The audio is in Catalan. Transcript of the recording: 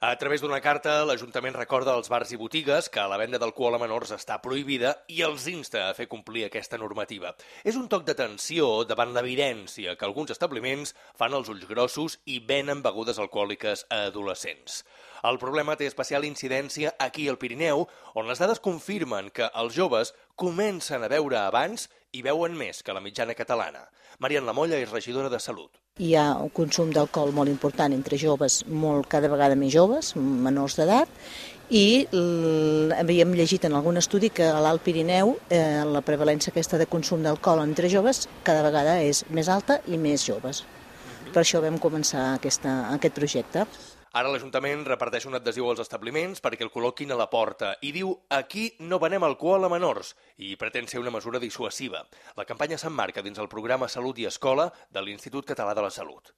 A través d'una carta, l'Ajuntament recorda als bars i botigues que la venda d'alcohol a menors està prohibida i els insta a fer complir aquesta normativa. És un toc d'atenció davant l'evidència que alguns establiments fan els ulls grossos i venen begudes alcohòliques a adolescents. El problema té especial incidència aquí al Pirineu, on les dades confirmen que els joves comencen a beure abans i beuen més que la mitjana catalana. Marian Lamolla és regidora de Salut. Hi ha un consum d'alcohol molt important entre joves, cada vegada més joves, menors d'edat, i havíem llegit en algun estudi que a l'Alt Pirineu la prevalència aquesta de consum d'alcohol entre joves cada vegada és més alta i més joves. Per això vam començar aquest projecte. Ara l'Ajuntament reparteix un adhesiu als establiments perquè el col·loquin a la porta i diu «Aquí no venem alcohol a menors» i pretén ser una mesura dissuasiva. La campanya s'emmarca dins el programa Salut i Escola de l'Institut Català de la Salut.